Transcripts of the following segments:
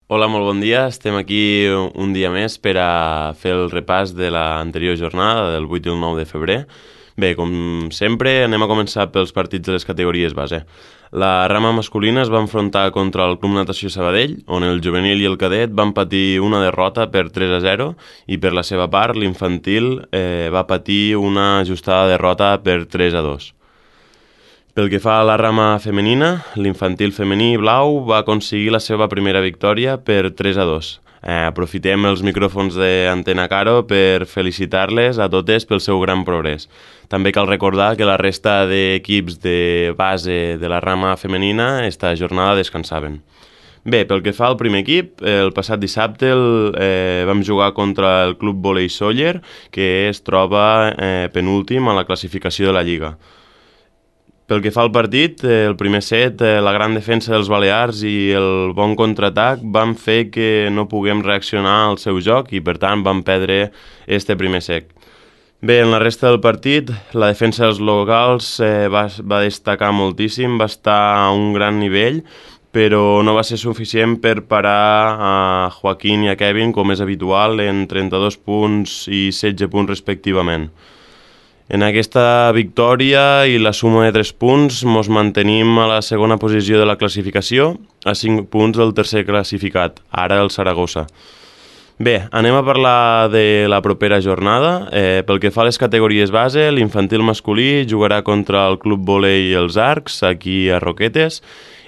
Hola, molt bon dia. Estem aquí un dia més per a fer el repàs de l'anterior jornada, del 8 i el 9 de febrer. Bé, com sempre, anem a començar pels partits de les categories base. La rama masculina es va enfrontar contra el Club Natació Sabadell, on el juvenil i el cadet van patir una derrota per 3-0 i per la seva part l'infantil va patir una ajustada derrota per 3-2. Pel que fa a la rama femenina, l'infantil femení blau va aconseguir la seva primera victòria per 3-2. Aprofitem els micròfons d'Antena Caro per felicitar-les a totes pel seu gran progrés. També cal recordar que la resta d'equips de base de la rama femenina esta jornada descansaven. Bé, pel que fa al primer equip, el passat dissabte vam jugar contra el Club Volei Sóller, que es troba penúltim a la classificació de la Lliga. Pel que fa al partit, el primer set, la gran defensa dels Balears i el bon contraatac van fer que no puguem reaccionar al seu joc i, per tant, vam perdre este primer set. Bé, en la resta del partit, la defensa dels locals va destacar moltíssim, va estar a un gran nivell, però no va ser suficient per parar a Joaquín i a Kevin, com és habitual, en 32 punts i 16 punts respectivament. En aquesta victòria i la suma de 3 punts ens mantenim a la segona posició de la classificació, a 5 punts del tercer classificat, ara el Saragossa. Bé, anem a parlar de la propera jornada. Pel que fa a les categories base, l'infantil masculí jugarà contra el Club Volei i els Arcs, aquí a Roquetes.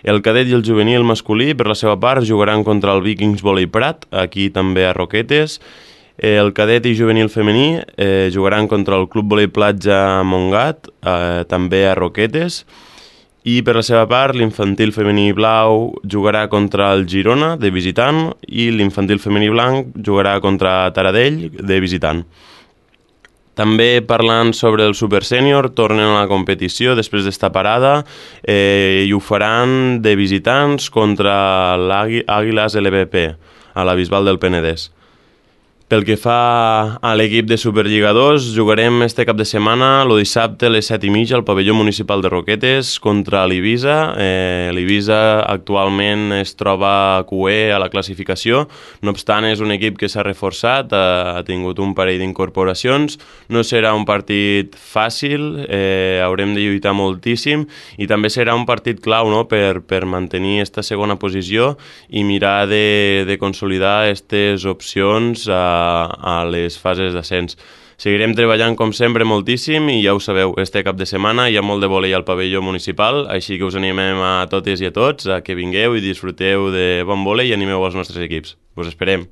El cadet i el juvenil masculí, per la seva part, jugaran contra el Vikings Volei Prat, aquí també a Roquetes. El cadet i juvenil femení jugaran contra el Club Volei Platja Montgat, també a Roquetes, i per la seva part l'infantil femení blau jugarà contra el Girona, de visitant, i l'infantil femení blanc jugarà contra Taradell, de visitant. També parlant sobre el Super Sènior, tornen a la competició després d'esta parada i ho faran de visitants contra l'Àguiles LVP, a la Bisbal del Penedès. Pel que fa a l'equip de Superliga 2, jugarem este cap de setmana, el dissabte a les 7:30 al pavelló municipal de Roquetes contra l'Eivissa. L'Eivissa actualment es troba QE a la classificació, no obstant és un equip que s'ha reforçat, ha tingut un parell d'incorporacions, no serà un partit fàcil, haurem de lluitar moltíssim i també serà un partit clau, no?, per mantenir esta segona posició i mirar de consolidar aquestes opcions a les fases d'ascens. Seguirem treballant com sempre moltíssim i ja ho sabeu, este cap de setmana hi ha molt de vòlei al pavelló municipal, així que us animem a totes i a tots a que vingueu i disfruteu de bon vòlei i animeu els nostres equips. Us esperem!